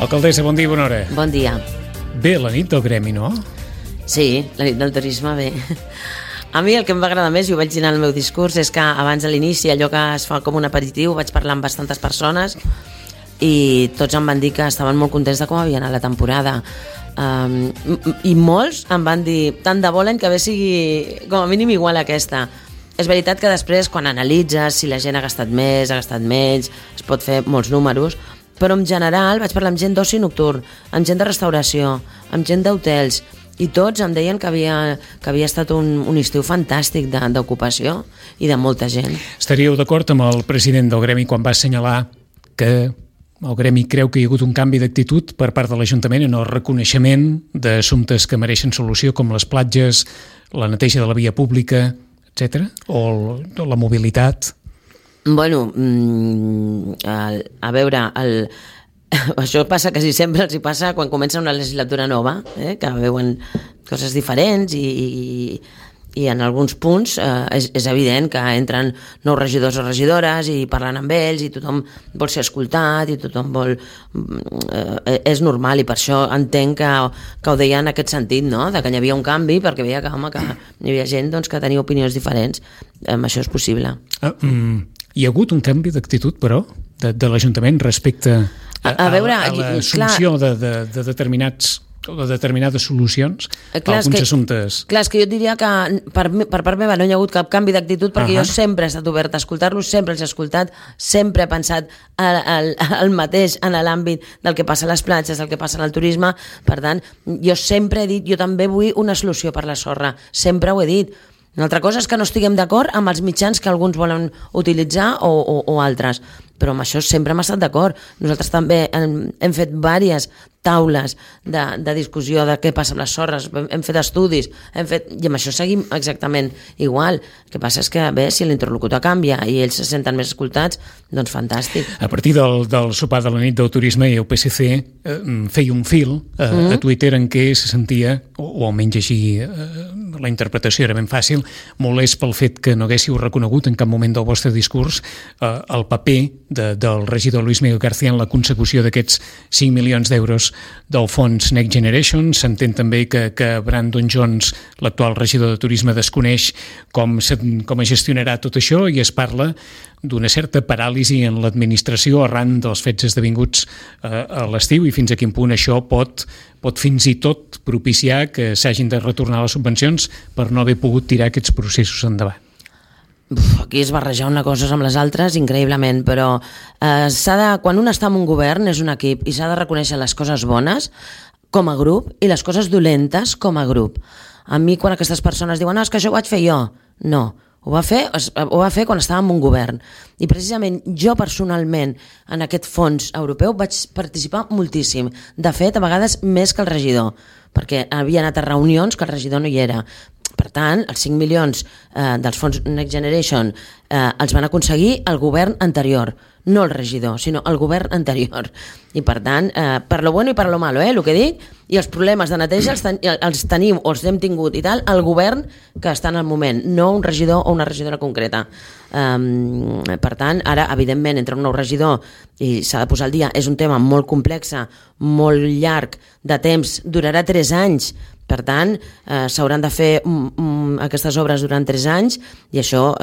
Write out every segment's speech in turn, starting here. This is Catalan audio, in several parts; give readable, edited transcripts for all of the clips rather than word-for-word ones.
Alcaldessa, bon dia, bona hora. Bon dia. Bé, la nit del gremi, no? Sí, la nit del turisme, bé. A mi el que em va agradar més, i ho vaig dir en el meu discurs, és que abans de l'inici, allò que es fa com un aperitiu, vaig parlar amb bastantes persones i tots em van dir que estaven molt contents de com havia anat la temporada. I molts em van dir, tant de bo l'any que ve sigui com a mínim igual a aquesta. És veritat que després, quan analitzes si la gent ha gastat més, ha gastat menys, es pot fer molts números, però en general vaig parlar amb gent d'oci nocturn, amb gent de restauració, amb gent d'hotels, i tots em deien que havia estat un estiu fantàstic d'ocupació i de molta gent. Estaríeu d'acord amb el president del gremi quan va assenyalar que el gremi creu que hi ha hagut un canvi d'actitud per part de l'Ajuntament en el reconeixement d'assumptes que mereixen solució, com les platges, la neteja de la via pública, etc., o la mobilitat? Bueno, a veure, això passa quasi sempre, els hi passa quan comença una legislatura nova, que veuen coses diferents i en alguns punts és evident que entren nous regidors o regidores i parlen amb ells i tothom vol ser escoltat i tothom vol... és normal i per això entenc que ho deia en aquest sentit, no? De que hi havia un canvi perquè veia que hi havia gent doncs, que tenia opinions diferents. Això és possible. Hi ha hagut un canvi d'actitud, però, de l'Ajuntament respecte a l'assumpció de determinades solucions a alguns assumptes. Clar, és que jo diria que per part meva no hi ha hagut cap canvi d'actitud perquè jo sempre he estat obert a escoltar-los, sempre els he escoltat, sempre he pensat el mateix en l'àmbit del que passa a les platges, del que passa en el turisme. Per tant, jo sempre he dit, jo també vull una solució per la sorra, sempre ho he dit. Una altra cosa és que no estiguem d'acord amb els mitjans que alguns volen utilitzar o altres, però amb això sempre hem estat d'acord. Nosaltres també hem fet diverses taules de discussió de què passa amb les sorres, hem fet estudis, i amb això seguim exactament igual. El que passa és que, bé, si l'interlocutor canvia i ells se senten més escoltats, doncs fantàstic. A partir del sopar de la nit del turisme i el PSC feia un fil a Twitter en què se sentia, o almenys així la interpretació era ben fàcil, molest pel fet que no haguéssiu reconegut en cap moment del vostre discurs el paper del regidor Luis Miguel García en la consecució d'aquests 5 milions d'euros del fons Next Generation. S'entén també que Brandon Jones, l'actual regidor de turisme, desconeix com es gestionarà tot això i es parla d'una certa paràlisi en l'administració arran dels fets esdevinguts a l'estiu i fins a quin punt això pot fins i tot propiciar que s'hagin de retornar les subvencions per no haver pogut tirar aquests processos endavant. Aquí es barrejar una cosa amb les altres increïblement, però quan un està en un govern és un equip i s'ha de reconèixer les coses bones com a grup i les coses dolentes com a grup. A mi quan aquestes persones diuen és que això ho vaig fer jo, no, ho va fer quan estava en un govern i precisament jo personalment en aquest fons europeu vaig participar moltíssim, de fet a vegades més que el regidor, perquè havia anat a reunions que el regidor no hi era. Per tant, els 5 milions dels fons Next Generation els van aconseguir el govern anterior, no el regidor, sinó el govern anterior. I per tant, per lo bueno i per lo malo, el que dic, i els problemes de neteja els tenim o els hem tingut i tal, el govern que està en el moment, no un regidor o una regidora concreta. Per tant, ara, evidentment, entra un nou regidor i s'ha de posar al dia. És un tema molt complex, molt llarg de temps, durarà 3 anys. Per tant, s'hauran de fer aquestes obres durant 3 anys i això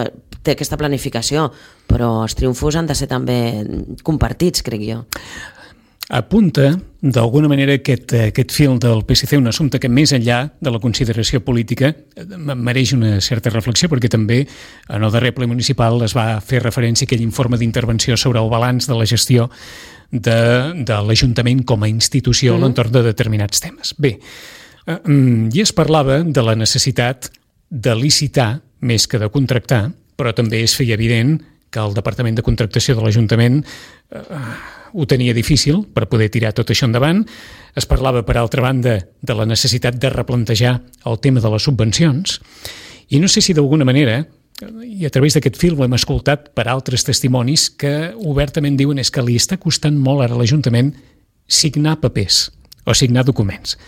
té aquesta planificació, però els triomfos han de ser també compartits, crec jo. Apunta, d'alguna manera, aquest fil del PSC, un assumpte que més enllà de la consideració política mereix una certa reflexió, perquè també en el darrer ple municipal es va fer referència a aquell informe d'intervenció sobre el balanç de la gestió de l'Ajuntament com a institució a l'entorn de determinats temes. Bé, i es parlava de la necessitat de licitar més que de contractar, però també es feia evident que el Departament de Contractació de l'Ajuntament ho tenia difícil per poder tirar tot això endavant. Es parlava, per altra banda, de la necessitat de replantejar el tema de les subvencions i no sé si d'alguna manera, i a través d'aquest fil ho hem escoltat per altres testimonis que obertament diuen és que li està costant molt ara a l'Ajuntament signar papers o signar documents.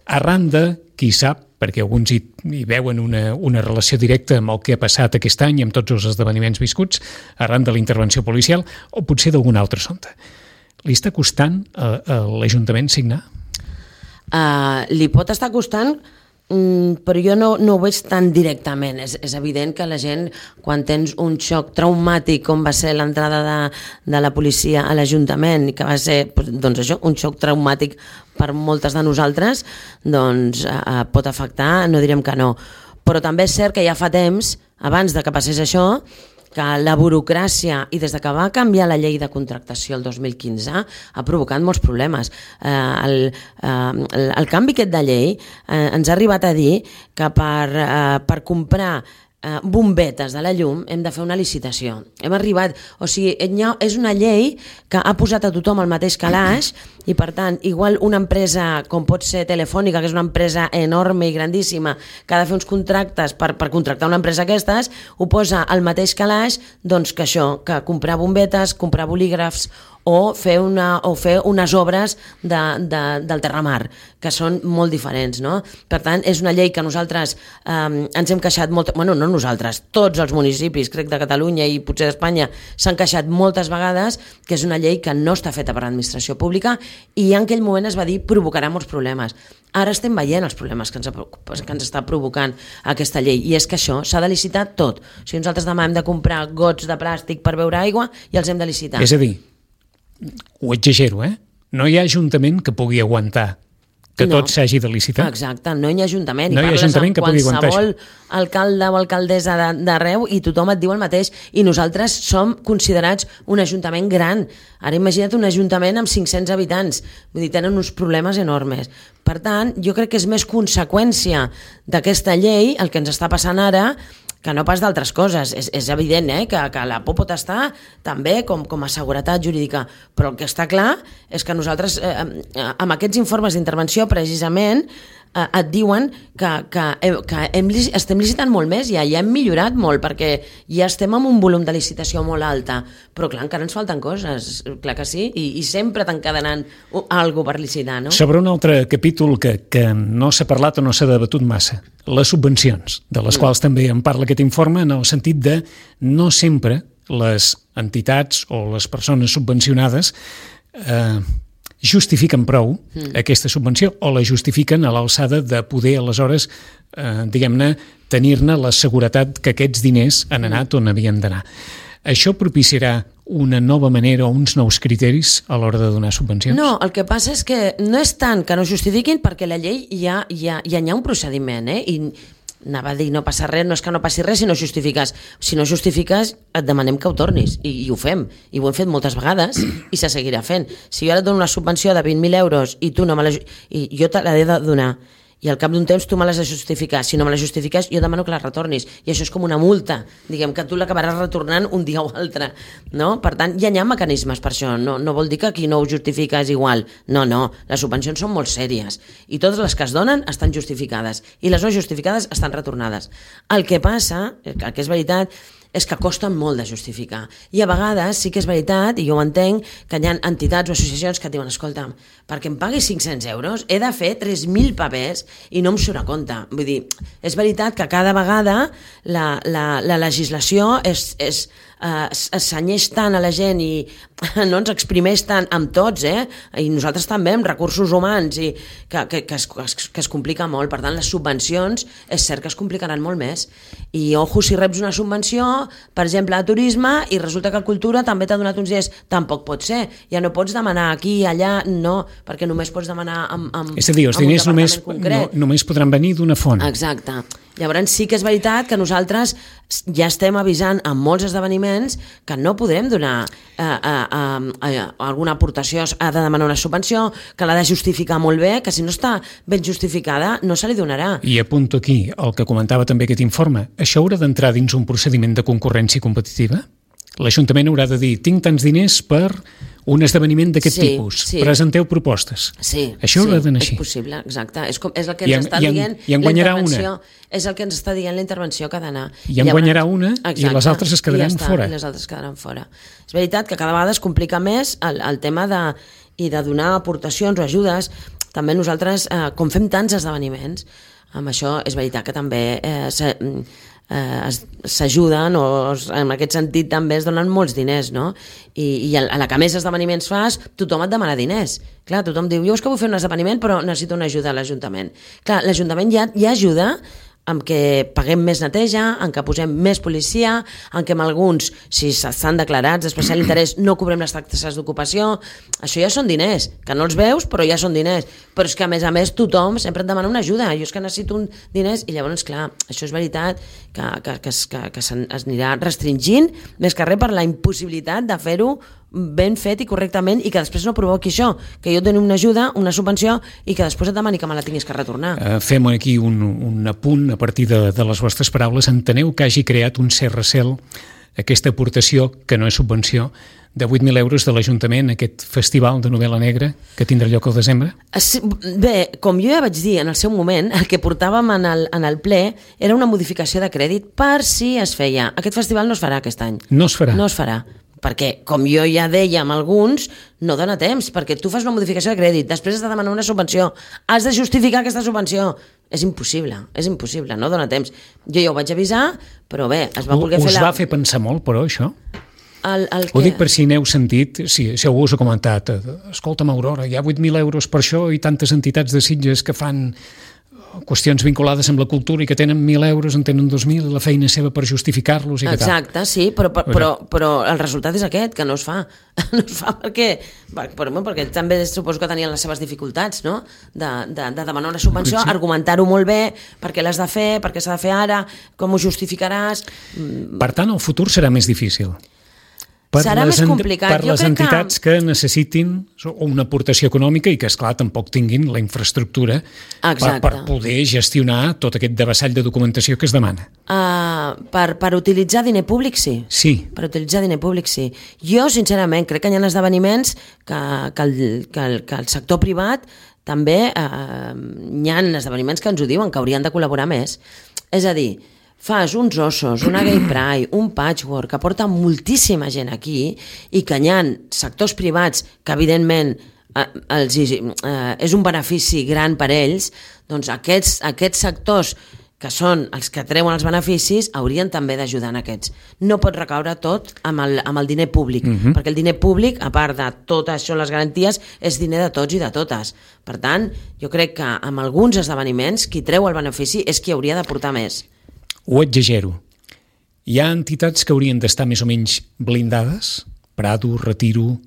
Arran de, qui sap, perquè alguns hi veuen una relació directa amb el que ha passat aquest any i amb tots els esdeveniments viscuts, arran de la intervenció policial o potser d'algun altre assumpte. li està costant a l'Ajuntament signar? Li pot estar costant, però jo no ho veig tan directament. És evident que la gent, quan tens un xoc traumàtic com va ser l'entrada de la policia a l'Ajuntament, que va ser doncs això, un xoc traumàtic per moltes de nosaltres, doncs pot afectar, no direm que no. Però també és cert que ja fa temps, abans de que passés això, que la burocràcia, i des de que va canviar la llei de contractació el 2015, ha provocat molts problemes. El canvi aquest de llei ens ha arribat a dir que per comprar bombetes de la llum hem de fer una licitació. Hem arribat, o sigui, és una llei que ha posat a tothom al mateix calaix i, per tant, igual una empresa com pot ser Telefònica, que és una empresa enorme i grandíssima, que ha de fer uns contractes per contractar una empresa aquestes, ho posa al mateix calaix doncs, que això, que comprar bombetes, comprar bolígrafs o fer unes obres del terramar, que són molt diferents, no? Per tant, és una llei que nosaltres ens hem queixat molt, bueno, no nosaltres, tots els municipis, crec, de Catalunya i potser d'Espanya s'han queixat moltes vegades, que és una llei que no està feta per l'administració pública i en aquell moment es va dir provocarà molts problemes. Ara estem veient els problemes que ens està provocant aquesta llei, i és que això s'ha de licitar tot. O sigui, nosaltres demà hem de comprar gots de plàstic per beure aigua i els hem de licitar. És a dir, ho exagero, no hi ha ajuntament que pugui aguantar que tot s'hagi de licitar. Exacte, no hi ha ajuntament. No hi ha ajuntament que pugui aguantar això. Qualsevol alcalde o alcaldessa d'arreu i tothom et diu el mateix. I nosaltres som considerats un ajuntament gran. Ara imagina't un ajuntament amb 500 habitants. Vull dir, tenen uns problemes enormes. Per tant, jo crec que és més conseqüència d'aquesta llei el que ens està passant ara que no pas d'altres coses. És evident que la por pot estar també com a seguretat jurídica, però el que està clar és que nosaltres, amb aquests informes d'intervenció, precisament, et diuen que estem licitant molt més, ja hem millorat molt, perquè ja estem amb un volum de licitació molt alta, però clar, encara ens falten coses, clar que sí, i sempre t'encadenant alguna cosa per licitar, no? Sobre un altre capítol que no s'ha parlat o no s'ha debatut massa, les subvencions, de les quals també en parla aquest informe, en el sentit de no sempre les entitats o les persones subvencionades justifiquen prou aquesta subvenció o la justifiquen a l'alçada de poder aleshores, diguem-ne, tenir-ne la seguretat que aquests diners han anat on havien d'anar. Això propiciarà una nova manera o uns nous criteris a l'hora de donar subvencions? No, el que passa és que no és tant que no justifiquin, perquè la llei ja hi ha un procediment, i anava a dir no passa res, no és que no passi res si no justifiques. Si no justifiques, et demanem que ho tornis, i ho fem, i ho hem fet moltes vegades i se seguirà fent. Si jo ara et dono una subvenció de 20.000 euros i tu no me i jo te l'he de donar, i al cap d'un temps tu me l'has de justificar. Si no me la justifiques, jo demano que la retornis. I això és com una multa. Diguem que tu l'acabaràs retornant un dia o altre. No? Per tant, ja hi ha mecanismes per això. No vol dir que qui no ho justifica és igual. No. Les subvencions són molt sèries. I totes les que es donen estan justificades. I les no justificades estan retornades. El que passa, el que és veritat, és que costen molt de justificar. I a vegades sí que és veritat, i jo ho entenc, que hi ha entitats o associacions que et diuen, escolta, perquè em paguis 500 euros he de fer 3.000 papers i no em surt a compte. Vull dir, és veritat que cada vegada la legislació es senyeix tant a la gent i no ens exprimeix tant amb tots, i nosaltres també amb recursos humans, i que es complica molt. Per tant, les subvencions és cert que es complicaran molt més. I ojo, si reps una subvenció, per exemple, a turisme, i resulta que Cultura també t'ha donat uns diners, tampoc pot ser. Ja no pots demanar aquí, allà, no, perquè només pots demanar amb és a dir, els diners només podran venir d'una font. Exacte. Llavors sí que és veritat que nosaltres ja estem avisant en molts esdeveniments que no podrem donar alguna aportació, ha de demanar una subvenció, que l'ha de justificar molt bé, que si no està ben justificada no se li donarà. I apunto aquí el que comentava també aquest informe. Això haurà d'entrar dins un procediment de concurrència competitiva? L'Ajuntament haurà de dir, tinc tants diners per un esdeveniment d'aquest tipus, presenteu propostes. Sí, això haurà d'anar així. És possible, exacte. És el que ens està dient I en guanyarà una. És el que ens està dient la intervenció que ha d'anar. I en guanyarà una, i les altres es quedaran fora. I les altres quedaran fora. És veritat que cada vegada es complica més el tema de donar aportacions o ajudes. També nosaltres, com fem tants esdeveniments, amb això és veritat que també s'ajuden, o en aquest sentit també es donen molts diners, no? I a la que més esdeveniments fas, tothom et demana diners. Clar, tothom diu, jo és que vull fer un esdeveniment però necessito una ajuda a l'Ajuntament. Clar, l'Ajuntament ja ajuda amb què paguem més neteja, en què posem més policia, en què amb alguns, si estan declarats d'especial interès, no cobrem les taxes d'ocupació. Això ja són diners, que no els veus, però ja són diners. Però és que, a més, tothom sempre et demana una ajuda. Jo és que necessito diners, i llavors, clar, això és veritat que s'anirà restringint, més que res per la impossibilitat de fer-ho ben fet i correctament, i que després no provoqui això, que jo et doni una ajuda, una subvenció, i que després et demani que me la tinguis que retornar. Fem aquí un apunt a partir de les vostres paraules. Enteneu que hagi creat un cert recel aquesta aportació, que no és subvenció, de 8.000 euros de l'Ajuntament, aquest festival de novel·la negra que tindrà lloc al desembre? Bé, com jo ja vaig dir en el seu moment, el que portàvem en el ple era una modificació de crèdit per si es feia. Aquest festival no es farà aquest any. No es farà? No es farà. Perquè, com jo ja deia amb alguns, no dona temps, perquè tu fas una modificació de crèdit, després has de demanar una subvenció, has de justificar aquesta subvenció. És impossible, no dona temps. Jo ja ho vaig avisar, però bé, es va voler fer Us va fer pensar molt, però, això? Ho dic per si n'heu sentit, si algú us ha comentat, escolta'm, Aurora, hi ha 8.000 euros per això i tantes entitats de Sitges que fan qüestions vinculades amb la cultura i que tenen 1.000 euros, en tenen 2.000, la feina seva per justificar-los i que tal. Exacte, sí, però el resultat és aquest, que no es fa. No es fa perquè també suposo que tenien les seves dificultats, no? De demanar una subvenció, sí. Argumentar-ho molt bé, per què l'has de fer, per què s'ha de fer ara, com ho justificaràs. Per tant, el futur serà més difícil. Serà més complicat. Per les entitats que necessitin una aportació econòmica i que, esclar, tampoc tinguin la infraestructura per poder gestionar tot aquest devessall de documentació que es demana. Per utilitzar diner públic, sí. Sí. Per utilitzar diner públic, sí. Jo, sincerament, crec que hi ha esdeveniments que el sector privat també hi ha esdeveniments que ens ho diuen, que haurien de col·laborar més. És a dir, fas uns ossos, una gay pride, un patchwork, que porta moltíssima gent aquí i que hi ha sectors privats que, evidentment, és un benefici gran per ells, doncs aquests sectors que són els que treuen els beneficis haurien també d'ajudar en aquests. No pot recaure tot amb el diner públic, perquè el diner públic, a part de tot això, les garanties, és diner de tots i de totes. Per tant, jo crec que amb alguns esdeveniments qui treu el benefici és qui hauria d'aportar més. Ho exagero. Hi ha entitats que haurien d'estar més o menys blindades? Prado, Retiro,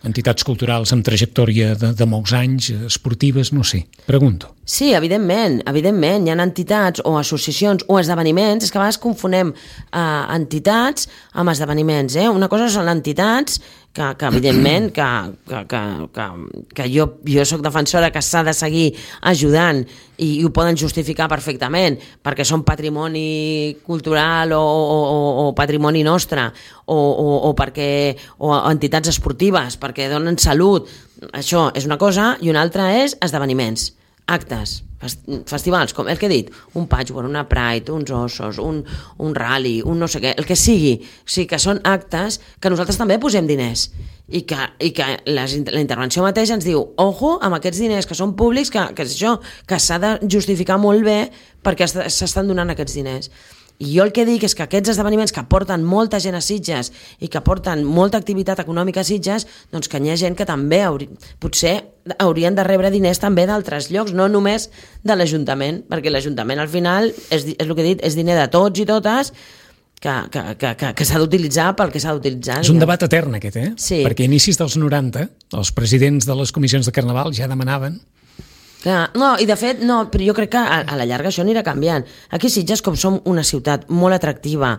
entitats culturals amb trajectòria de molts anys, esportives, no sé. Pregunto. Sí, evidentment. Hi ha entitats o associacions o esdeveniments, és que a vegades confonem entitats amb esdeveniments. Una cosa són entitats que evidentment, que jo soc defensora que s'ha de seguir ajudant i ho poden justificar perfectament perquè són patrimoni cultural o patrimoni nostre o entitats esportives perquè donen salut. Això és una cosa, i una altra és esdeveniments, actes, festivals, com el que he dit, un patchwork, una pride, uns ossos, un rally, un no sé què, el que sigui. O sigui, que són actes que nosaltres també posem diners i que la intervenció mateixa ens diu, ojo amb aquests diners que són públics, que s'ha de justificar molt bé perquè s'estan donant aquests diners. I jo el que dic és que aquests esdeveniments que porten molta gent a Sitges i que porten molta activitat econòmica a Sitges, doncs que hi ha gent que també potser haurien de rebre diners també d'altres llocs, no només de l'Ajuntament, perquè l'Ajuntament al final, és el que he dit, és diner de tots i totes, que s'ha d'utilitzar pel que s'ha d'utilitzar. És un debat etern aquest, Sí. Perquè a inicis dels 90, els presidents de les comissions de Carnaval ja demanaven. Clar, no, i de fet, no, però jo crec que a la llarga això anirà canviant. Aquí a Sitges, com som una ciutat molt atractiva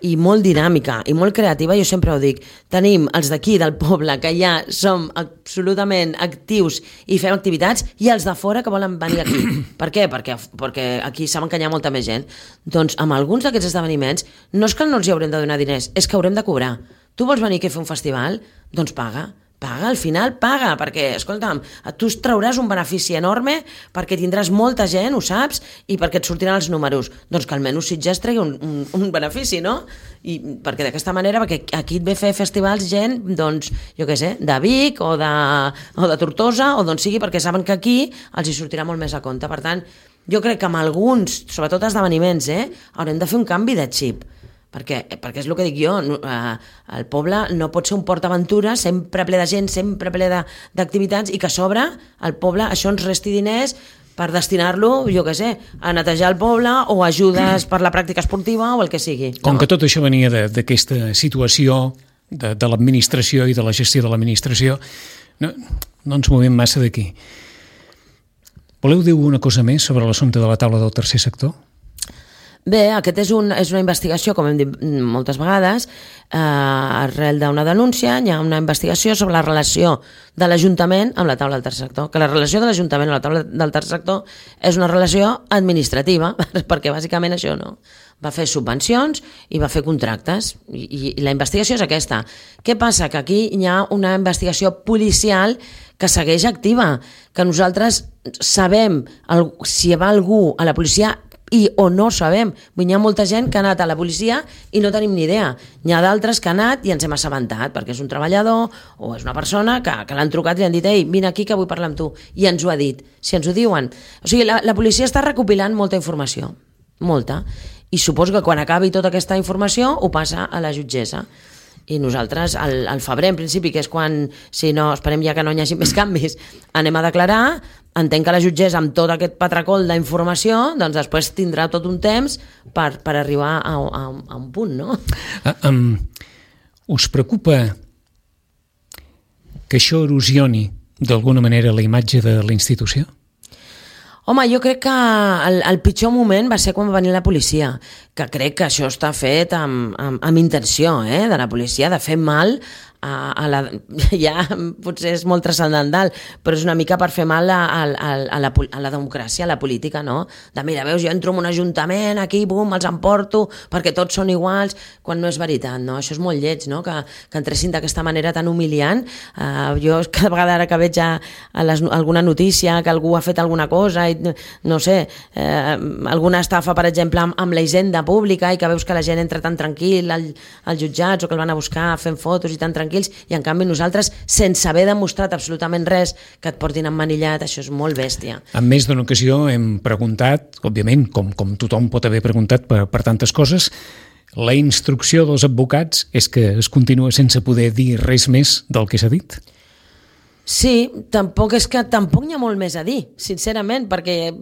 i molt dinàmica i molt creativa, jo sempre ho dic, tenim els d'aquí del poble que ja som absolutament actius i fem activitats, i els de fora que volen venir aquí. Per què? Perquè aquí saben que hi ha molta més gent. Doncs amb alguns d'aquests esdeveniments no és que no els hi haurem de donar diners, és que haurem de cobrar. Tu vols venir aquí a fer un festival? Doncs paga paga, al final paga, perquè, escolta'm, tu trauràs un benefici enorme perquè tindràs molta gent, ho saps, i perquè et sortiran els números. Doncs que almenys Sitges tregui un benefici, no? I perquè d'aquesta manera, perquè aquí et ve fer festivals gent, doncs, jo què sé, de Vic o de Tortosa o d'on sigui, perquè saben que aquí els hi sortirà molt més a compte. Per tant, jo crec que amb alguns, sobretot esdeveniments, haurem de fer un canvi de xip. Perquè és el que dic jo, el poble no pot ser un PortAventura sempre ple de gent, sempre ple d'activitats, i que a sobre el poble això ens resti diners per destinar-lo, jo què sé, a netejar el poble o ajudes per la pràctica esportiva o el que sigui. Com que tot això venia d'aquesta situació de l'administració i de la gestió de l'administració, no ens movem massa d'aquí. Voleu dir una cosa més sobre l'assumpte de la taula del tercer sector? Bé, aquest és una investigació, com hem dit moltes vegades, arrel d'una denúncia, hi ha una investigació sobre la relació de l'Ajuntament amb la taula del tercer sector, que la relació de l'Ajuntament amb la taula del tercer sector és una relació administrativa, perquè bàsicament això no. Va fer subvencions i va fer contractes, i la investigació és aquesta. Què passa? Que aquí hi ha una investigació policial que segueix activa, que nosaltres sabem si va algú a la policia o no sabem. Hi ha molta gent que ha anat a la policia i no tenim ni idea. Hi ha d'altres que han anat i ens hem assabentat, perquè és un treballador o és una persona que l'han trucat i li han dit «Ei, vine aquí que vull parlar amb tu», i ens ho ha dit. Si ens ho diuen... O sigui, la policia està recopilant molta informació, molta, i suposo que quan acabi tota aquesta informació ho passa a la jutgessa. I nosaltres, al febrer, en principi, que és quan, si no, esperem ja que no hi hagi més canvis, anem a declarar. Entenc que la jutgessa, amb tot aquest patracol d'informació, doncs després tindrà tot un temps per arribar a un punt, no? Us preocupa que això erosioni d'alguna manera la imatge de la institució? Home, jo crec que el pitjor moment va ser quan va venir la policia, que crec que això està fet amb intenció, de la policia, de fer mal ja potser és molt transcendental, però és una mica per fer mal a la democràcia, a la política, no? De mira, veus, jo entro en un ajuntament, aquí, bum, els emporto, perquè tots són iguals, quan no és veritat, no? Això és molt lleig, no? Que entressin d'aquesta manera tan humiliant. Jo cada vegada ara que veig alguna notícia, que algú ha fet alguna cosa, i no sé, alguna estafa, per exemple, amb la hisenda pública, i que veus que la gent entra tan tranquil als jutjats, o que el van a buscar fent fotos i tan tranquils, i en canvi nosaltres, sense haver demostrat absolutament res, que et portin emmanillat, això és molt bèstia. En més d'una ocasió hem preguntat, òbviament, com tothom pot haver preguntat per tantes coses, la instrucció dels advocats és que es continua sense poder dir res més del que s'ha dit? Sí, tampoc n'hi ha molt més a dir, sincerament, perquè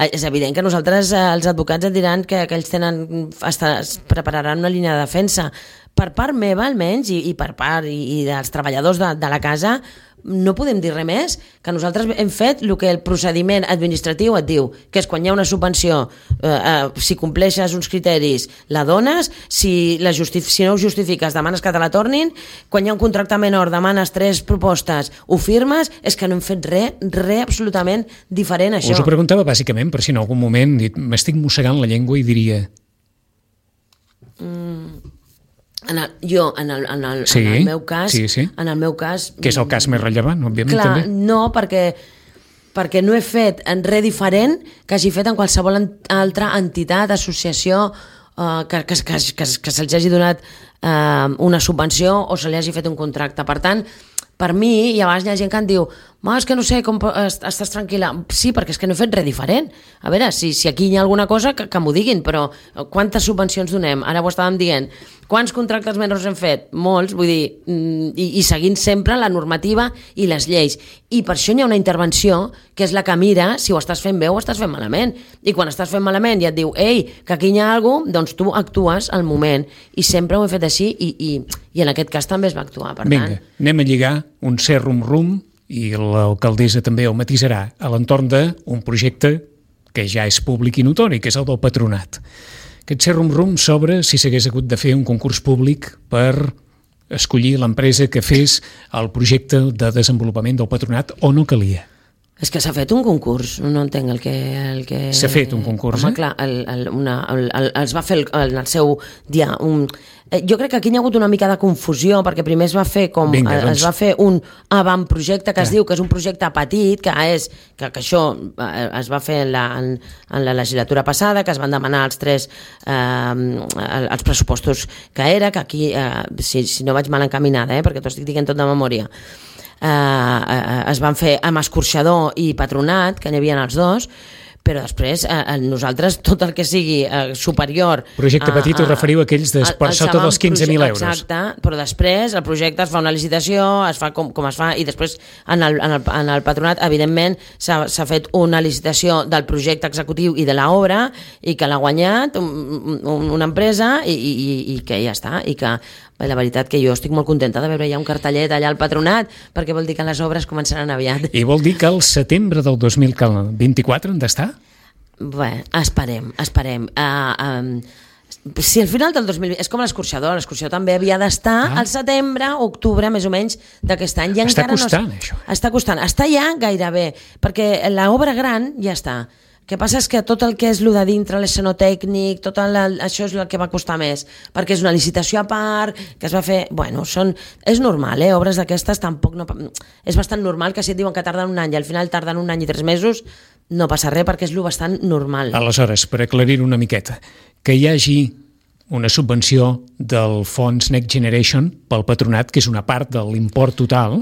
és evident que nosaltres, els advocats, et diran que ells es prepararan una línia de defensa. Per part meva, almenys, i per part i dels treballadors de la casa, no podem dir res més, que nosaltres hem fet el que el procediment administratiu et diu, que és quan hi ha una subvenció, si compleixes uns criteris, la dones, si no ho justifiques, demanes que te la tornin, quan hi ha un contracte menor, demanes 3 propostes, ho firmes, és que no hem fet res absolutament diferent a això. Us ho preguntava bàsicament per si en algun moment m'estic mossegant la llengua i diria... En el meu cas, en el meu cas, que és el cas més rellevant, òbviament. Clar, també. no, perquè no he fet res diferent que hagi fet en qualsevol altra entitat, associació, que se'ls hagi donat una subvenció o se li hagi fet un contracte. Per tant, per mi, i a vegades hi ha gent que em diu és que no sé com estàs tranquil·la. Sí, perquè és que no he fet res diferent. A veure, si aquí hi ha alguna cosa, que m'ho diguin, però quantes subvencions donem? Ara ho estàvem dient. Quants contractes menors hem fet? Molts, vull dir, i seguint sempre la normativa i les lleis. I per això hi ha una intervenció, que és la que mira si ho estàs fent bé o ho estàs fent malament. I quan estàs fent malament i et diu que aquí hi ha alguna cosa, doncs tu actues al moment. I sempre ho he fet així i en aquest cas també es va actuar. Per Vinga, anem a lligar un cert rum-rum, i l'alcaldessa també ho matisarà, a l'entorn d'un projecte que ja és públic i notori, que és el del patronat. Aquest cert rum-rum sobre si s'hagués hagut de fer un concurs públic per escollir l'empresa que fes el projecte de desenvolupament del patronat o no calia. És que s'ha fet un concurs, no entenc el que... S'ha fet un concurs, home, clar, es va fer en el seu dia... Jo crec que aquí hi ha hagut una mica de confusió, perquè primer es va fer es va fer un avantprojecte que es diu que és un projecte petit, que això es va fer en la legislatura passada, que es van demanar els pressupostos que aquí, si no vaig mal encaminada, perquè t'ho estic dient tot de memòria, es van fer amb escorxador i patronat, que n'hi havia els dos, però després nosaltres tot el que sigui superior... Projecte petit us referiu a aquells per sota dels 15.000 euros. Exacte, però després el projecte es fa una licitació, es fa com es fa, i després en el patronat, evidentment, s'ha fet una licitació del projecte executiu i de l'obra, i que l'ha guanyat una empresa i que ja està, i que la veritat que jo estic molt contenta de veure ja un cartellet allà al patronat, perquè vol dir que les obres començaran aviat. I vol dir que al setembre del 2024 han d'estar? Bé, esperem. Si al final del 2020... És com l'escorxador també havia d'estar al setembre, octubre, més o menys, d'aquest any. Està costant, això. Està costant. Està ja gairebé, perquè l'obra gran ja està. El que passa és que tot el que és el de dintre, l'escenotècnic, això és el que va costar més, perquè és una licitació a part, que es va fer... Bueno, és normal, obres d'aquestes tampoc no... És bastant normal que si et diuen que tarden un any i al final tarden un any i 3 mesos, no passa res perquè és bastant normal. Aleshores, per aclarir una miqueta, que hi hagi una subvenció del fons Next Generation pel patronat, que és una part de l'import total,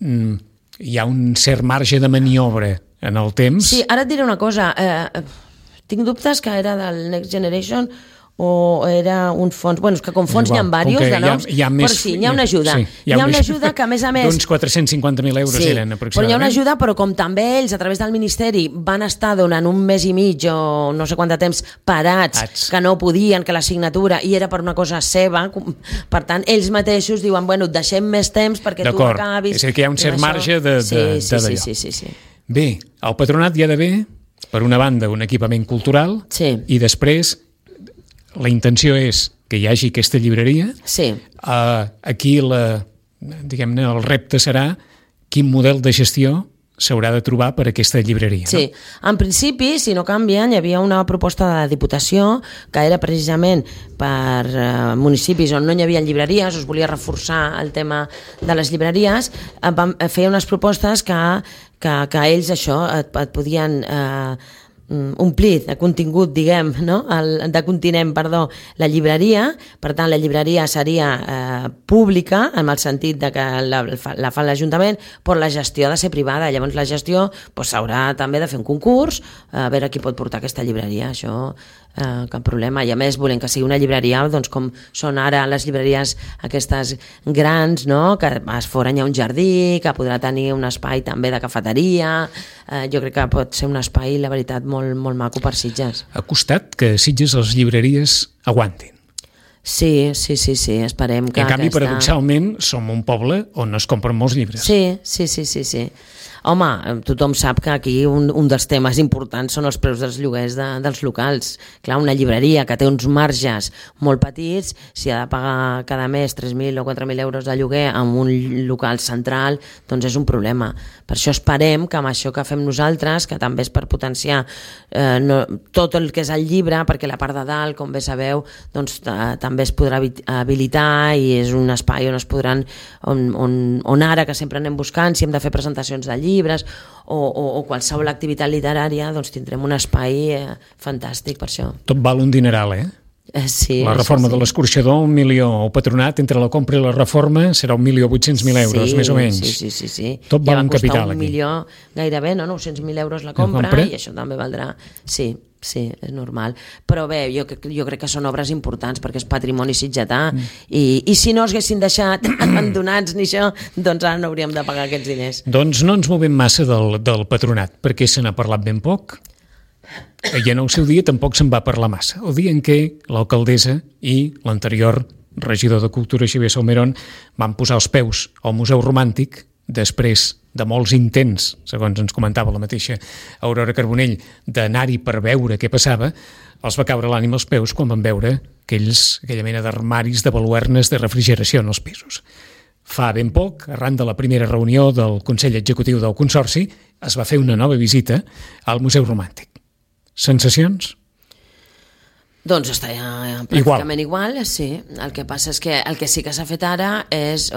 hi ha un cert marge de maniobra en el temps. Sí, ara et diré una cosa. Tinc dubtes que era del Next Generation o era un fons... Bueno, és que com fons n'hi ha diversos de noms, però sí, n'hi ha una ajuda. Hi ha una ajuda que, a més... D'uns 450.000 euros eren, aproximadament. Però hi ha una ajuda, però com també ells, a través del Ministeri, van estar donant un mes i mig o no sé quant de temps parats, que no podien, que la signatura, i era per una cosa seva, per tant, ells mateixos diuen, bueno, et deixem més temps perquè tu acabis... És a dir, que hi ha un cert marge d'allò. Sí. Bé, el patronat hi ha d'haver, per una banda, un equipament cultural, i després la intenció és que hi hagi aquesta llibreria. Sí. Aquí diguem-ne, el repte serà quin model de gestió s'haurà de trobar per aquesta llibreria. Sí, en principi, si no canvien, hi havia una proposta de la Diputació que era precisament per municipis on no hi havia llibreries, es volia reforçar el tema de les llibreries, feia unes propostes que ells això et podien omplir de contingut, diguem, no? De continent, perdó, la llibreria. Per tant, la llibreria seria pública, en el sentit de que la fa l'Ajuntament, però la gestió ha de ser privada. Llavors la gestió s'haurà també de fer un concurs, a veure qui pot portar aquesta llibreria, això cap problema. I a més volem que sigui una llibreria doncs, com són ara les llibreries aquestes grans, no? Que a fora hi ha un jardí, que podrà tenir un espai també de cafeteria. Jo crec que pot ser un espai, la veritat, molt, molt maco per Sitges. Ha costat que Sitges les llibreries aguantin. Sí, esperem que... En canvi, paradoxalment, som un poble on es compren molts llibres. Sí. Home, tothom sap que aquí un dels temes importants són els preus dels lloguers dels locals. Clar, una llibreria que té uns marges molt petits, si ha de pagar cada mes 3.000 o 4.000 euros de lloguer en un local central, doncs és un problema. Per això esperem que amb això que fem nosaltres, que també és per potenciar tot el que és el llibre, perquè la part de dalt, com bé sabeu, doncs també es podrà habilitar i és un espai on es podran, on ara que sempre anem buscant, si hem de fer presentacions de llibres o qualsevol activitat literària, doncs tindrem un espai fantàstic per això. Tot val un dineral, Sí, la reforma de l'escorxador, 1 milió. El patronat, entre la compra i la reforma, serà 1.800.000 euros, més o menys. Sí. Tot val un capital, aquí. 1 milió gairebé, no? 900.000 euros la compra, i això també valdrà... Sí, és normal. Però bé, jo crec que són obres importants perquè és patrimoni sitgetà i si no es haguessin deixat abandonats ni això, doncs ara no hauríem de pagar aquests diners. Doncs no ens movem massa del patronat, perquè se n'ha parlat ben poc i en el seu dia tampoc se'n va parlar massa. El dia en què l'alcaldessa i l'anterior regidor de Cultura, Xavier Salmerón, van posar els peus al Museu Romàntic després de molts intents, segons ens comentava la mateixa Aurora Carbonell, d'anar-hi per veure què passava, els va caure l'ànima als peus quan van veure aquella mena d'armaris de baluernes de refrigeració en els pisos. fa ben poc, arran de la primera reunió del Consell Executiu del Consorci, es va fer una nova visita al Museu Romàntic. Sensacions? Doncs està pràcticament igual, sí. El que passa és que el que sí que s'ha fet ara és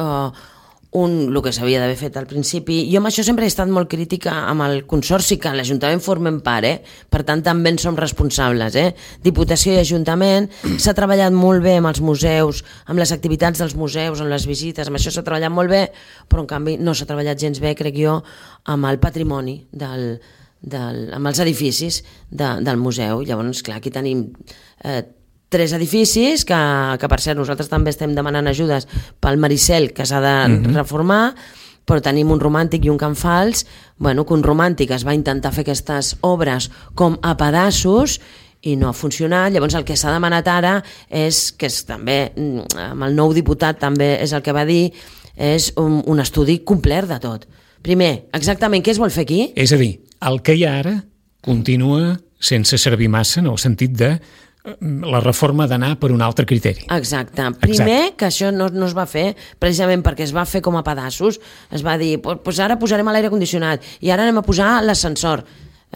el que s'havia d'haver fet al principi. Jo amb això sempre he estat molt crítica amb el Consorci, que l'Ajuntament formem part, per tant també en som responsables. Diputació i Ajuntament, s'ha treballat molt bé amb els museus, amb les activitats dels museus, amb les visites, amb això s'ha treballat molt bé, però en canvi no s'ha treballat gens bé, crec jo, amb el patrimoni amb els edificis del museu. Llavors, clar, aquí tenim 3 edificis que per cert nosaltres també estem demanant ajudes pel Maricel, que s'ha de reformar, però tenim un Romàntic i un Can Fals, que un Romàntic es va intentar fer aquestes obres com a pedaços i no ha funcionat. Llavors el que s'ha demanat ara és, que és també amb el nou diputat també és el que va dir, és un estudi complet de tot. Primer, exactament què es vol fer aquí? És a dir, el que hi ha ara continua sense servir massa en el sentit de la reforma d'anar per un altre criteri. Exacte. Primer, que això no es va fer precisament perquè es va fer com a pedaços. Es va dir, doncs ara posarem l'aire condicionat i ara anem a posar l'ascensor.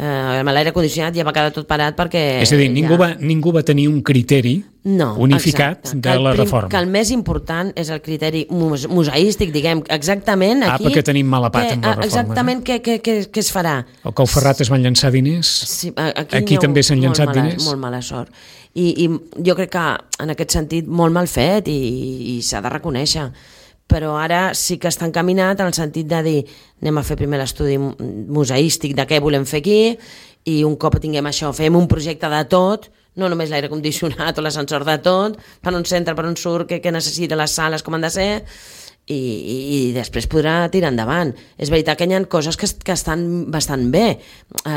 Amb l'aire condicionat ja va quedar tot parat perquè... És a dir, ningú va tenir un criteri unificat de la reforma. Que el més important és el criteri museístic, diguem, exactament aquí... perquè tenim mala pata amb la reforma. Exactament què es farà. O que al Ferrat es van llançar diners, sí, aquí també s'han llançat diners. Molt mala sort. I jo crec que en aquest sentit molt mal fet i s'ha de reconèixer. Però ara sí que està encaminat en el sentit de dir anem a fer primer l'estudi museístic de què volem fer aquí i un cop tinguem això fem un projecte de tot, no només l'aire condicionat o l'ascensor, de tot, per on s'entra, per on surt, què necessita, les sales, com han de ser, i després podrà tirar endavant. És veritat que hi ha coses que estan bastant bé,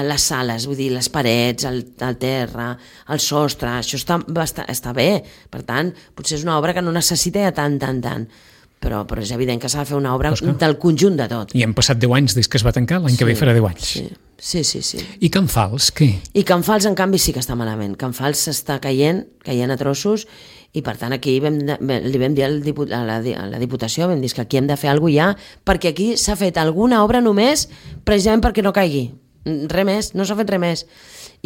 les sales, vull dir, les parets, el terra, el sostre, això està bé. Per tant, potser és una obra que no necessita tant. Però és evident que s'ha de fer una obra del conjunt de tot. I hem passat 10 anys des que es va tancar, l'any que ve farà 10 anys. Sí. I Can Fals, què? I Can Fals, en canvi, sí que està malament. Can Fals s'està caient a trossos, i per tant aquí li vam dir a la Diputació, vam dir que aquí hem de fer alguna cosa ja, perquè aquí s'ha fet alguna obra només precisament perquè no caigui. Res més, no s'ha fet res més.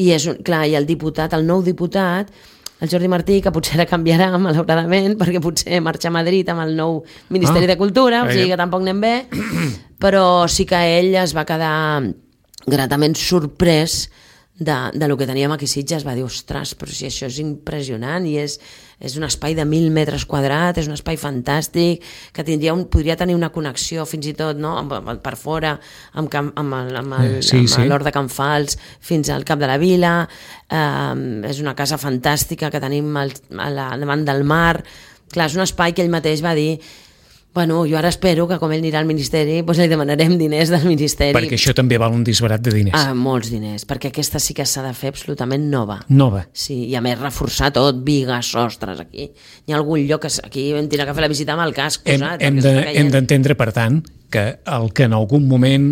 I el nou diputat, el Jordi Martí, que potser ara canviarà malauradament perquè potser marxa a Madrid amb el nou Ministeri de Cultura, o sigui que tampoc anem bé, però sí que ell es va quedar gratament sorprès de lo que teníem aquí a Sitges. Va dir, ostres, però si això és impressionant i és un espai de 1.000 metres quadrats, és un espai fantàstic, que podria tenir una connexió fins i tot per fora amb l'Hort de Can Fals fins al Cap de la Vila. És una casa fantàstica que tenim davant del mar. Clar, és un espai que ell mateix va dir, jo ara espero que com ell anirà al Ministeri li demanarem diners del Ministeri. Perquè això també val un disbarat de diners. Molts diners, perquè aquesta sí que s'ha de fer absolutament nova. Sí, i a més reforçar tot, bigues, sostres, aquí. Hi ha algun lloc que aquí vam tenir que fer la visita amb el casc posat. Hem d'entendre, per tant, que el que en algun moment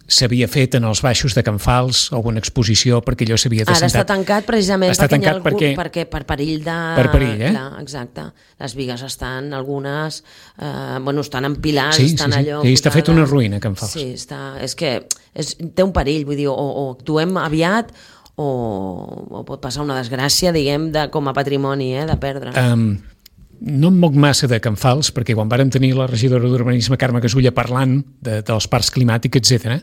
s'havia fet en els baixos de Can Fals alguna exposició perquè allò s'havia de sentar. Ara està tancat precisament perquè per perill de... Per perill, exacte. Les bigues estan, algunes, estan empilades, estan allò... Sí, està fet una ruïna, Can Fals. Sí, és que té un perill, vull dir, o actuem aviat o pot passar una desgràcia, diguem, com a patrimoni, de perdre. No em moc massa de Can Fals, perquè quan vàrem tenir la regidora d'Urbanisme, Carme Casulla, parlant dels parcs climàtics, etc.,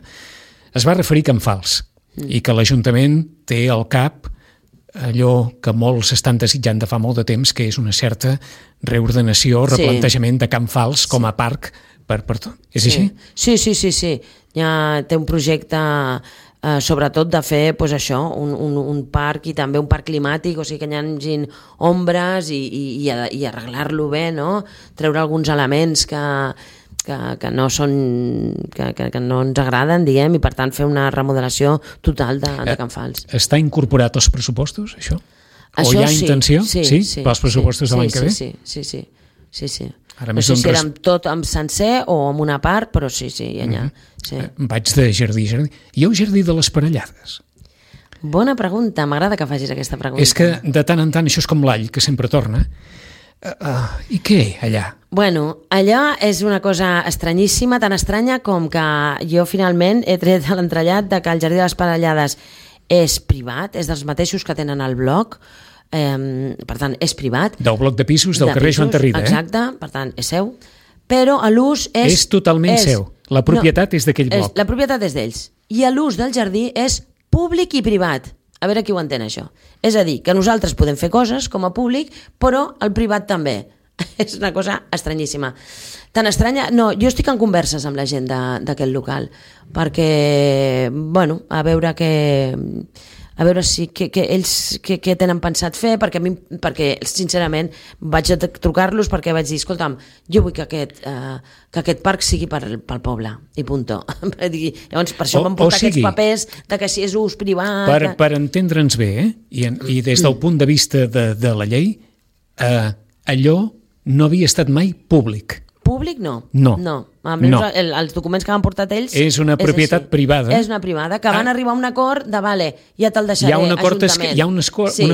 es va referir a Can Fals i que l'Ajuntament té al cap allò que molts estan desitjant de fa molt de temps, que és una certa reordenació, replantejament de Can Fals com a parc per tot. És així? Sí. Ja té un projecte... sobretot de fer un parc i també un parc climàtic, o sigui que hi hagi ombres i arreglar-lo bé, no? Treure alguns elements que no ens agraden, diguem, i per tant fer una remodelació total de Can Fals. Està incorporat als pressupostos, això? O hi ha intenció? Sí, pels pressupostos de l'any que ve? Sí. No sé si era tot amb sencer o amb una part, però sí, hi ha. Vaig de jardí. Hi ha un jardí de les parellades? Bona pregunta, m'agrada que facis aquesta pregunta. És que de tant en tant, això és com l'all, que sempre torna. I què, allà? Bueno, allò és una cosa estranyíssima, tan estranya com que jo finalment he tret a l'entrellat de que el Jardí de les Parellades és privat, és dels mateixos que tenen el bloc, per tant, és privat. Del bloc de pisos del carrer Joan Tarrida, exacte, per tant, és seu, però l'ús és... És totalment seu. La propietat és d'aquell bloc. La propietat és d'ells. I l'ús del jardí és públic i privat. A veure qui ho entén, això. És a dir, que nosaltres podem fer coses com a públic, però el privat també. És una cosa estranyíssima. Tan estranya... No, jo estic en converses amb la gent d'aquest local, perquè, bueno, a veure si que ells què tenen pensat fer, perquè sincerament vaig a trucar-los perquè vaig dir, escolta'm, jo vull que aquest parc sigui pel poble, i punto. Llavors, per això m'han portat aquests papers de que si és ús privat... Per entendre'ns bé, i des del punt de vista de la llei, allò no havia estat mai públic. Públic no. Els documents que han portat ells... És una propietat privada. És una privada, que van arribar a un acord de, vale, ja te'l deixaré, Ajuntament. Hi ha un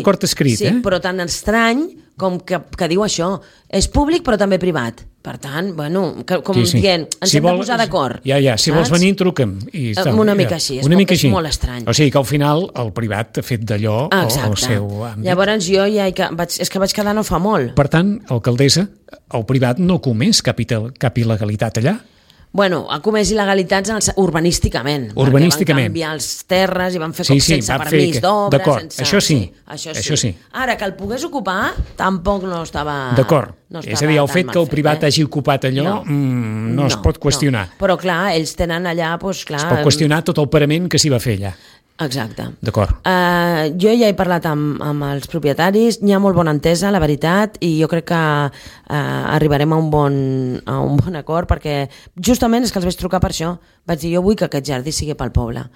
acord escrit, sí, però tan estrany com que diu això. És públic però també privat. Per tant, bueno, dient, ens hem de posar d'acord. Si vols venir, truca'm. Una mica així, és molt estrany. O sigui que al final el privat ha fet d'allò el seu àmbit. Llavors jo és que vaig quedar no fa molt. Per tant, alcaldessa, el privat no comés cap il·legalitat allà? Bueno, ha comès il·legalitats urbanísticament. Urbanísticament. Perquè van canviar les terres i van fer sense permís d'obres. D'acord, això sí. Ara, que el pogués ocupar, tampoc no estava... D'acord. És a dir, el fet que el privat hagi ocupat allò no es pot qüestionar. Però clar, ells tenen allà... Es pot qüestionar tot el parament que s'hi va fer allà. Exacte. D'acord. Jo ja he parlat amb els propietaris, n'hi ha molt bona entesa, la veritat, i jo crec que arribarem a un bon acord, perquè justament és que els vaig trucar per això. Vaig dir, jo vull que aquest jardí sigui pel poble.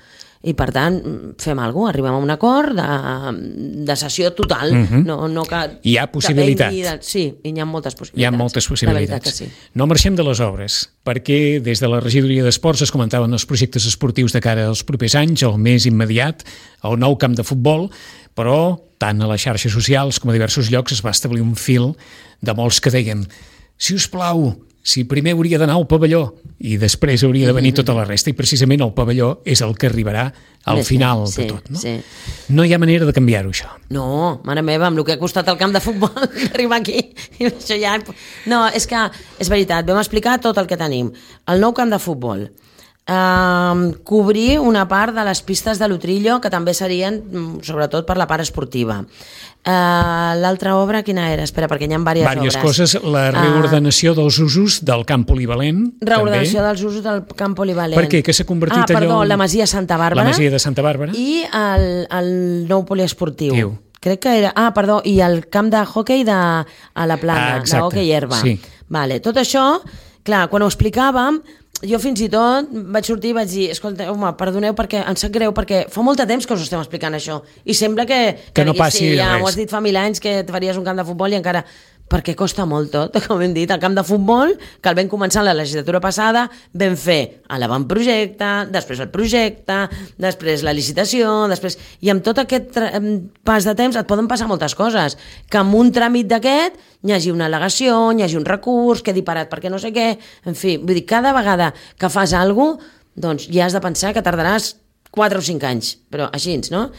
I per tant, fem alguna cosa, arribem a un acord de cessió total. No que hi ha possibilitat. Sí, i hi ha moltes possibilitats. Hi ha moltes possibilitats. La veritat que sí. No marxem de les obres, perquè des de la regidoria d'Esports es comentaven els projectes esportius de cara als propers anys, el més immediat, el nou camp de futbol, però tant a les xarxes socials com a diversos llocs es va establir un fil de molts que dèiem, si us plau, si primer hauria d'anar al pavelló i després hauria de venir tota la resta, i precisament el pavelló és el que arribarà al final de tot, no? Sí. No hi ha manera de canviar-ho, això. No, mare meva, amb el que ha costat el camp de futbol arribar aquí, això ja... No, és que, és veritat, vam explicar tot el que tenim. El nou camp de futbol, cobrir una part de les pistes de l'Utrillo, que també serien sobretot per la part esportiva. L'altra obra quina era? Espera, perquè hi ha diverses obres. Coses, la reordenació dels usos del camp polivalent. Reordenació també. dels usos del camp polivalent. Per què? Que s'ha convertit allò... la Masia Santa Bàrbara. La Masia de Santa Bàrbara. I el nou poliesportiu. Crec que era... i el camp de hoquei a la Plana, de hoquei herba. Sí. Vale, tot això, clar, quan ho explicàvem, jo fins i tot vaig sortir i vaig dir, escolta, home, perdoneu perquè em sap greu, perquè fa molt de temps que us estem explicant això i sembla que no passi res. Ja ho has dit fa 1000 anys que et faries un camp de futbol i encara... perquè costa molt tot, com hem dit, el camp de futbol, que el vam començar la legislatura passada, vam fer l'avantprojecte, després el projecte, després la licitació, després... I amb tot aquest pas de temps et poden passar moltes coses, que amb un tràmit d'aquest hi hagi una al·legació, hi hagi un recurs, quedi parat perquè no sé què, en fi, vull dir, cada vegada que fas alguna cosa, doncs ja has de pensar que tardaràs 4 o 5 anys, però així, no?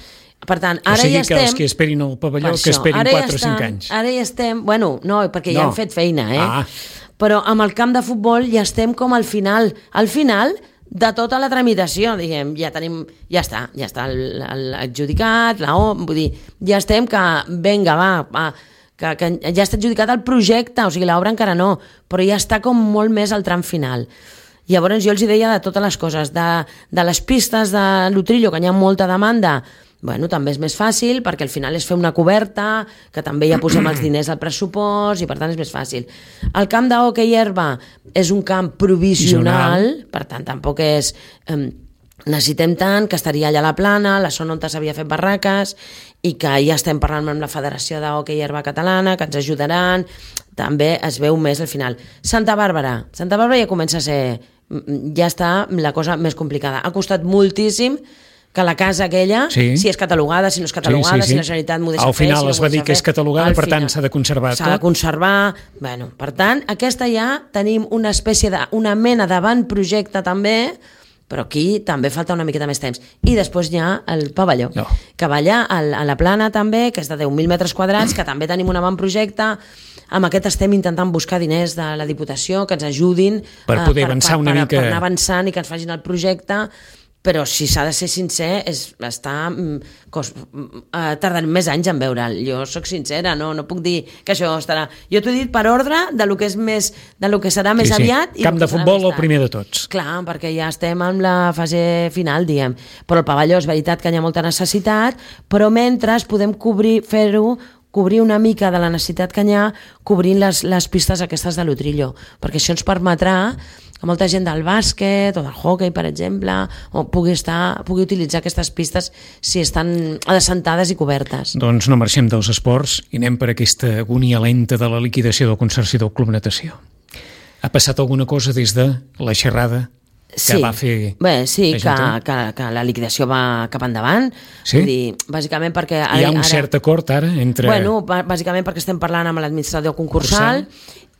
Per tant, ara ja estem... O sigui que els que esperin al pavelló, que esperin 4 o 5 anys. Ara ja estem... Bueno, no, perquè ja hem fet feina, Però amb el camp de futbol ja estem com al final de tota la tramitació, diguem, ja està adjudicat, vull dir, ja estem que, vinga, va, que ja està adjudicat el projecte, o sigui, l'obra encara no, però ja està com molt més al tram final. Llavors jo els deia de totes les coses, de les pistes de l'Utrillo, que hi ha molta demanda, bueno, també és més fàcil, perquè al final és fer una coberta, que també ja posem els diners al pressupost, i per tant és més fàcil. El camp d'hoquei herba és un camp provisional, per tant tampoc és... necessitem tant, que estaria allà a la Plana, la zona on s'havia fet barraques, i que ja estem parlant amb la Federació d'Hoquei Herba Catalana, que ens ajudaran, també es veu més al final. Santa Bàrbara ja comença a ser... ja està la cosa més complicada. Ha costat moltíssim que la casa aquella, si és catalogada, si no és catalogada, si la Generalitat m'ho deixa fer... Al final es va dir que és catalogada, per tant s'ha de conservar tot. S'ha de conservar... Bueno, per tant, aquesta ja tenim una espècie una mena d'avantprojecte també, però aquí també falta una miqueta més temps. I després hi ha el pavelló, que va allà a la Plana també, que és de 10.000 metres quadrats, que també tenim un avantprojecte. Amb aquest estem intentant buscar diners de la Diputació que ens ajudin per poder avançar una mica... per anar avançant i que ens facin el projecte, però si s'ha de ser sincer, tardarem més anys en veure'l. Jo sóc sincera, no puc dir que això estarà... Jo t'ho he dit per ordre de lo que serà més aviat. Camp de futbol el primer de tots. Clar, perquè ja estem en la fase final, diguem. Però el pavelló és veritat que hi ha molta necessitat, però mentre podem cobrir una mica de la necessitat que hi ha cobrint les pistes aquestes de l'Utrillo, perquè això ens permetrà que molta gent del bàsquet o del hoquei, per exemple, pugui utilitzar aquestes pistes si estan assentades i cobertes. Doncs no marxem dels esports i anem per aquesta agonia lenta de la liquidació del Consorci del Club Natació. Ha passat alguna cosa des de la xerrada que va fer... Sí, que la liquidació va cap endavant. Sí? Vull dir, bàsicament perquè... Hi ha un cert acord ara entre... Bueno, bàsicament perquè estem parlant amb l'administrador concursal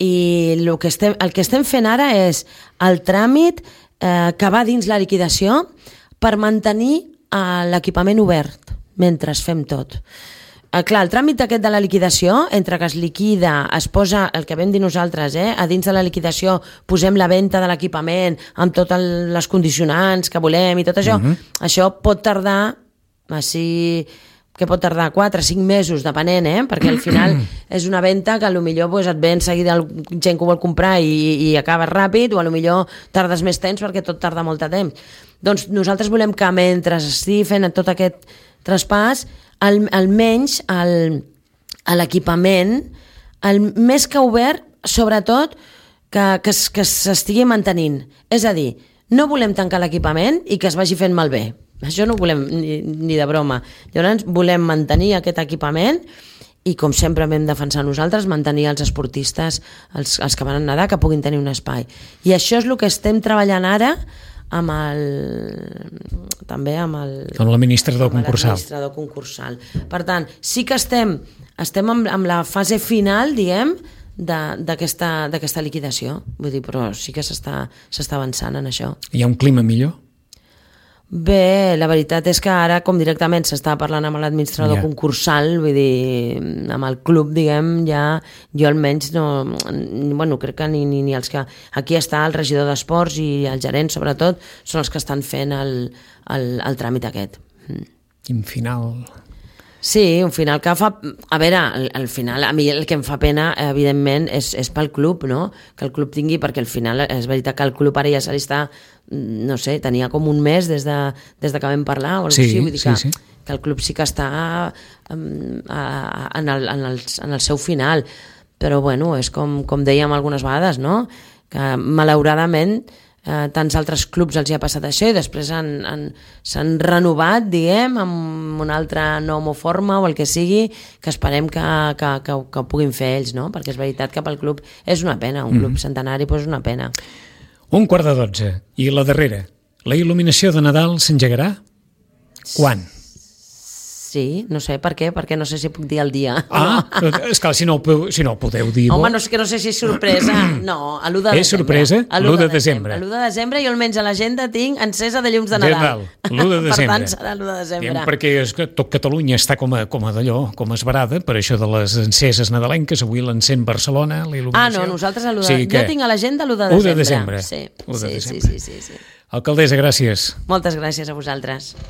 i el que estem fent ara és el tràmit que va dins la liquidació per mantenir l'equipament obert mentre fem tot. Clar, el tràmit aquest de la liquidació, entre que es liquida, es posa, el que vam dir nosaltres, a dins de la liquidació posem la venda de l'equipament amb totes les condicionants que volem i tot això, això pot tardar, que pot tardar 4 o 5 mesos, depenent, perquè al final és una venda que potser et ve en seguida gent que ho vol comprar i acaba ràpid, o potser tardes més temps perquè tot tarda molt de temps. Doncs nosaltres volem que mentre estigui fent tot aquest traspàs, almenys l'equipament, més que obert, sobretot que s'estigui mantenint. És a dir, no volem tancar l'equipament i que es vagi fent malbé. Això no ho volem ni de broma. Llavors volem mantenir aquest equipament i, com sempre vam defensar nosaltres, mantenir els esportistes, els que van nedar, que puguin tenir un espai. I això és el que estem treballant ara amb l'administrador concursal. Per tant, sí que estem en la fase final, diguem, d'aquesta liquidació. Vull dir, però sí que s'està avançant en això. Hi ha un clima millor? Bé, la veritat és que ara, com directament s'està parlant amb l'administrador concursal, vull dir, amb el club, diguem, ja jo almenys crec que ni els que... Aquí està el regidor d'esports i el gerent, sobretot, són els que estan fent el tràmit aquest. Quin final... Sí, un final que fa... A veure, al final, a mi el que em fa pena, evidentment, és pel club, no? Que el club tingui, perquè al final és veritat que el club ara ja se li està, no sé, tenia com un mes des de que vam parlar, o alguna cosa així, vull dir que el club sí que està en el seu final. Però, bueno, és com dèiem algunes vegades, no? Que, malauradament, tants altres clubs els hi ha passat això i després s'han renovat, diguem, amb una altra nom o forma o el que sigui, que esperem que ho puguin fer ells, no? Perquè és veritat que pel club és una pena, un club centenari és una pena. 11:45 i la darrera, la il·luminació de Nadal s'engegarà? Quan? Sí, no sé per què, perquè no sé si puc dir el dia. Esclar, si no ho podeu dir... Home, no sé si és sorpresa. No, a l'1 de desembre. És sorpresa? L'1 de desembre. L'1 de desembre jo almenys a l'agenda tinc encesa de llums de Nadal. L'1 de desembre. Per tant, serà l'1 de desembre. Perquè tot Catalunya està com a d'allò, com esbarada, per això de les enceses nadalenques. Avui l'encén Barcelona, la il·luminació. No, nosaltres a l'1 de desembre. Jo tinc a l'agenda l'1 de desembre. 1 de desembre. Sí. Alcaldessa, gràcies. Moltes gràcies a vosaltres.